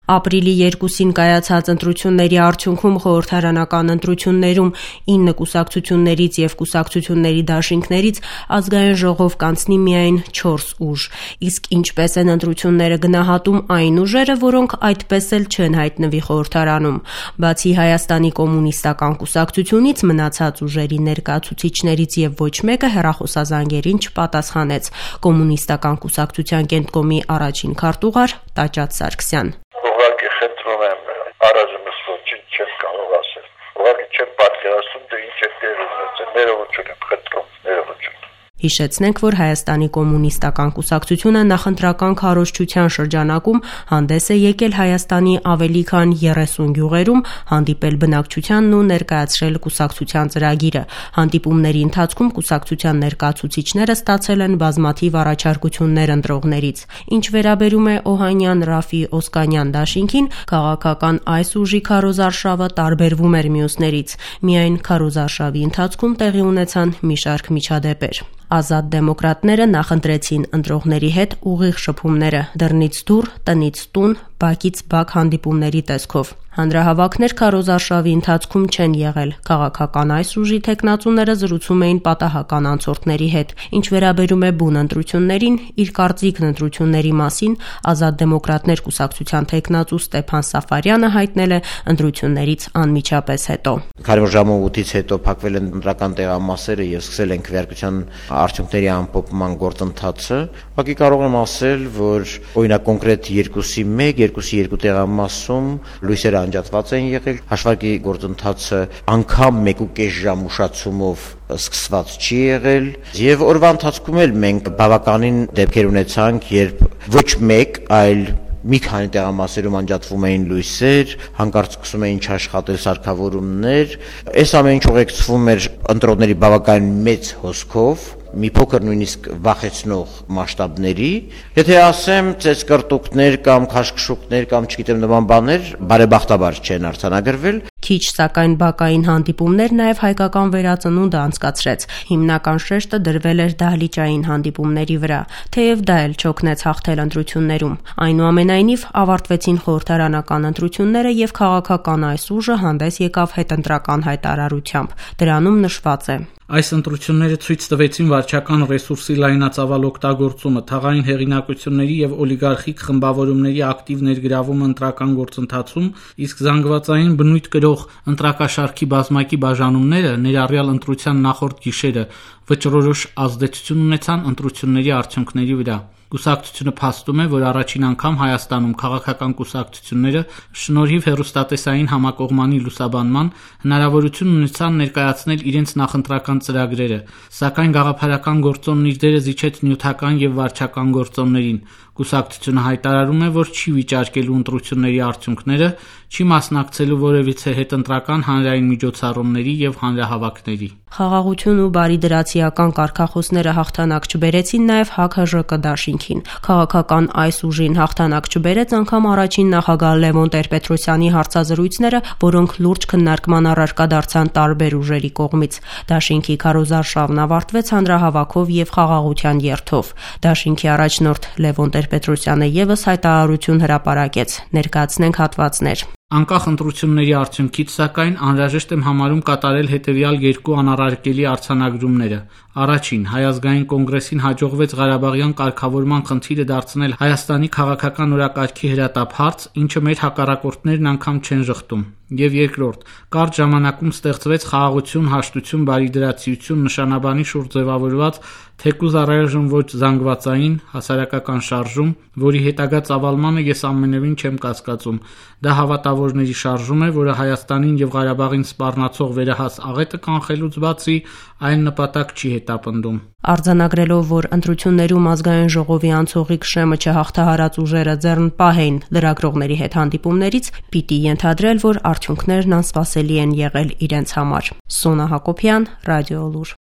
Ապրիլի 2-ին կայացած ընտրությունների արդյունքում խորհրդարանական ընտրություններում 9 կուսակցություններից և կուսակցությունների դաշինքներից ազգային ժողով կանցնի միայն 4 ուժ, իսկ ինչպես են ընտրությունները գնահատում այն ուժերը, որոնք այդպես էլ չեն հայտնվի խորհրդարանում։ Բացի Հայաստանի կոմունիստական կուսակցությունից, մնացած ուժերի ներկայացուցիչներից և ոչ մեկը հեռախոսազանգերին չպատասխանեց։ Կոմունիստական կուսակցության կենտկոմի առաջին քարտուղար Տաճաց Սարգսյան: Ուղղակի խնդրում եմ, առանձնս ոչինչ չեմ կարող ասել։ Ուղղակի չեմ պատկերացնում, թե ինչ է տեղի ունեցել։ Ներողություն եմ խնդրում, ներողություն։ Հիշեցնենք, որ Հայաստանի կոմունիստական կուսակցությունը նախընտրական քարոզչության շրջանակում հանդես է եկել Հայաստանի ավելի քան 30 գյուղերում, հանդիպել բնակչությանն ու ներկայացրել կուսակցության ծրագիրը։ Հանդիպումների ընթացքում կուսակցության ներկայացուցիչները ստացել են բազմաթիվ առաջարկություններ ընտրողներից։ Ինչ վերաբերում է Օհանյան Ռաֆի Օսկանյան դաշինքին, քաղաքական այս ուժի քարոզարշավը տարբերվում էր մյուսներից։ Միայն քարոզարշավի ընթացքում տեղի ունեցան մի շարք միջադեպեր։ Ազատ դեմոկրատները նախընտրեցին ընտրողների հետ ուղիղ շփումները՝ դռնից դուռ, տնից տուն, բակից բակ հանդիպումների տեսքով։ Հանրահավաքներ քարոզարշավի ընթացքում չեն եղել։ Քաղաքական այս ուժի թեկնածուները զրուցում էին պատահական անցորդների հետ։ Ինչ վերաբերում է բուն ընտրություններին, իր կարծիքն ընտրությունների մասին Ազատ դեմոկրատներ կուսակցության թեկնածու Ստեփան Սաֆարյանը հայտնել է ընտրություններից անմիջապես հետո։ Քանի որ ժամը 8-ից հետո փակվել են ընտրական տեղամասերը եւ սկսել են քվեարկության արդյունքների ամփոփման գործընթացը, ուղղակի կարող եմ ասել, որ օրինակ կոնկրետ 2-ի 1, 2-ի 2 տեղամասում լույսերը անջատված են եղել, հաշվարկի գործընթացը անգամ 1.5 ժամ ուշացումով սկսված չի եղել, եւ օրվա ընթացքում էլ մենք բավականին դեպքեր ունեցանք, երբ ոչ մեկ, այլ մի քանի տեղամասերում անջատվում էին լույսեր, հանկարծ սկսում էին չաշխատել սարքավորումներ։ Այս ամեն ինչ ուղեկցվում էր ընտրողների բավականին մեծ հոսքով, մի փոքր նույնիսկ վախեցնող մասշտաբների։ Եթե ասեմ, ծեծկռտուքներ կամ քաշքշուկներ կամ չգիտեմ նման բաներ բարեբախտաբար չեն արձանագրվել։ Քիչ սակայն բակային հանդիպումներ նաև հայկական վերածնունդը անցկացրեց։ Հիմնական շեշտը դրվել էր դահլիճային հանդիպումների վրա, թեև դա էլ չօգնեց հաղթել ընտրություններում։ Այնուամենայնիվ ավարտվեցին խորհրդարանական ընտրությունները եւ քաղաքական այս ուժը հանդես եկավ հետընտրական հայտարարությամբ։ Դրանում նշված է. Այս ընտրությունները ցույց տվեցին վարչական ռեսուրսի լայնածավալ օգտագործումը, թաղային հեղինակությունների եւ օլիգարխիկ խմբավորումների ակտիվ ներգրավումը ընտրական գործընթացում, իսկ զանգվածային բնույթ կրող ընտրակաշարքի բազմակի բաժանումները, ներառյալ ընտրության նախորդ գիշերը, վճռորոշ ազդեցություն ունեցան ընտրությունների արդյունքների վրա։ Կուսակցությունը փաստում է, որ առաջին անգամ Հայաստանում քաղաքական կուսակցությունները շնորհիվ հեռուստատեսային համակողմանի լուսաբանման հնարավորություն ունեցան ներկայացնել իրենց նախընտրական ծրագրերը, սակայն գաղափարական գործոնն իր դերը զիջեց նյութական եւ վարչական գործոններին։ Կուսակցությունը հայտարարում է, որ չի վիճարկելու ընտրությունների արդյունքները, չի մասնակցելու որևիցե հետընտրական հանրային միջոցառումների եւ հանրահավաքների։ Խաղաղություն ու բարիդրացիական կարգախոսները հաղթանակ չբերեցին նաև ՀՔԺԿ դաշինքին։ Քաղաքական այս ուժին հաղթանակ չբերեց անգամ առաջին նախագահ Լևոն Տեր-Պետրոսյանի հարցազրույցները, որոնք լուրջ քննարկման առարկա դարձան տարբեր ուժերի կողմից։ Դաշինքի քարոզարշավն ավարտվեց հանրահավաքով եւ խաղաղության երթով։ Դաշինքի առաջնորդ Լևոն Տեր-Պետրոսյանը եւս հայտարարություն հրապարակեց։ Ներկայացնենք հատվածներ։ Անկախ ընտրությունների արդյունքից, սակայն, անհրաժեշտ եմ համարում կատարել հետևյալ երկու անառարկելի արձանագրումները։ Առաջին, Հայ ազգային կոնգրեսին հաջողվեց Ղարաբաղյան կարգավորման խնդիրը դարձնել Հայաստանի քաղաքական օրակարգի հրատապ հարց, ինչը մեր հակառակորդներն անգամ չեն ժխտում։ Եվ երկրորդ, կարճ ժամանակում ստեղծվեց խաղաղություն, հաշտություն, բարիդրացիություն նշանաբանի շուրջ ձևավորված թեկուզ առայժմ ոչ զանգվածային հասարակական շարժում, որի հետագա ծավալմանը ես ամենևին չեմ կասկածում։ Դա հավատավորների շարժում է, որը Հայաստանին եւ Ղարաբաղին սպառնացող վերահաս աղետը կանխելուց բացի այն նպատակ չի հետապնդում։ Արձանագրելով, որ ընտրություններում ազգային ժողովի անցողիկ շեմը չհաղթահարած ուժերը ձեռնպահ էին լրագրողների հետ հանդիպումներից, պիտի ենթադրել, որ արդյունքներն անսպասելի են եղել իրենց համար։ Սոնա Հակոբյան, Ռադիոլուր։